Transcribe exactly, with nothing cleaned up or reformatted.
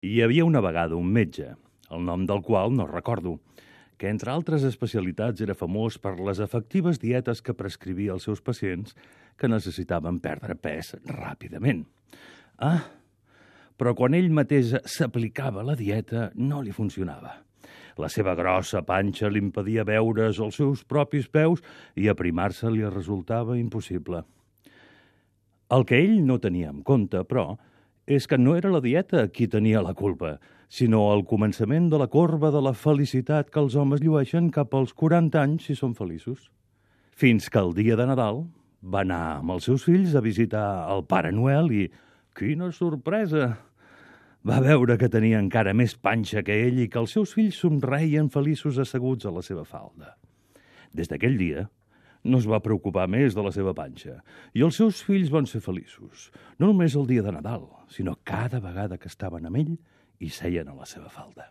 Hi havia una vegada un metge, el nom del qual no recordo, que entre altres especialitats era famós per les efectives dietes que prescrivia als seus pacients que necessitaven perdre pes ràpidament. Ah, però quan ell mateix s'aplicava la dieta no li funcionava. La seva grossa panxa li impedia veure's els seus propis peus i aprimar-se li resultava impossible. El que ell no tenia en compte, però, és que no era la dieta qui tenia la culpa, sinó el començament de la corba de la felicitat que els homes llueixen cap als quaranta anys si són feliços. Fins que el dia de Nadal va anar amb els seus fills a visitar el Pare Noel i, quina sorpresa! Va veure que tenia encara més panxa que ell i que els seus fills somreien feliços asseguts a la seva falda. Des d'aquell dia, no es va preocupar més de la seva panxa, i els seus fills van ser feliços, no només el dia de Nadal, sinó cada vegada que estaven amb ell i seien a la seva falda.